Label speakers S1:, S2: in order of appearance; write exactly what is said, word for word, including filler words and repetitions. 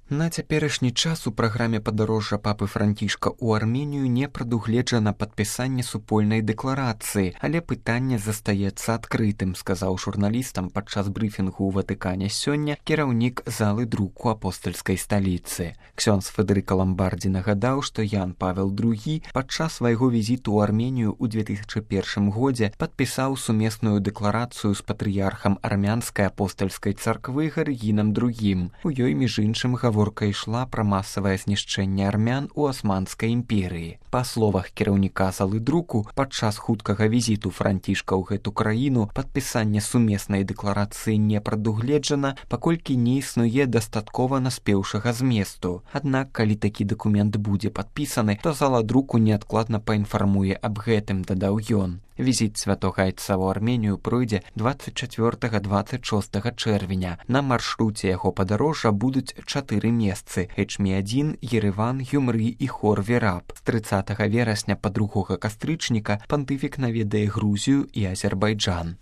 S1: На цяперашні час у праграме падарожжа папы Францішка ў Арменію не прадугледжана падпісанне супольнай дэкларацыі, але пытанне застаецца адкрытым, сказаў журналістам падчас брыфінгу ў Ватыкане сёння кіраўнік залы друку апостальскай сталіцы. Ксёндз Федэрыка Ламбардзі нагадаў, што Ян Павел другі падчас свайго візіту ў Арменію ў две тысячы першым годзе падпісаў сумесную дэкларацыю з патрыярхам армянскай апостальскай царквы Гарыгінам другім. У ёй, між іншым, гаворка ішла пра масавае знішчэнне армян у Асманскай імперыі. Па словах кіраўніка залы друку, падчас хуткага візіту Францішка ў гэту краіну падпісанне сумеснай дэкларацыі не прадугледжана, паколькі не існуе дастаткова наспеўшага зместу. Аднак, калі такі дакумент будзе падпісаны, то зала друку неадкладна паінфармуе аб гэтым, дадаў ён. Візіт святога айца ў Арменію пройдзе дваццаць чацвёртага - дваццаць шостага чэрвеня. На маршруце яго падарожжа будуць чатыры месцы – Эчмі адзін, Ереван, Гюмры і Хор Вераб. З трыццатага верасня па другога кастрычніка пантыфік наведае Грузію і Азербайджан.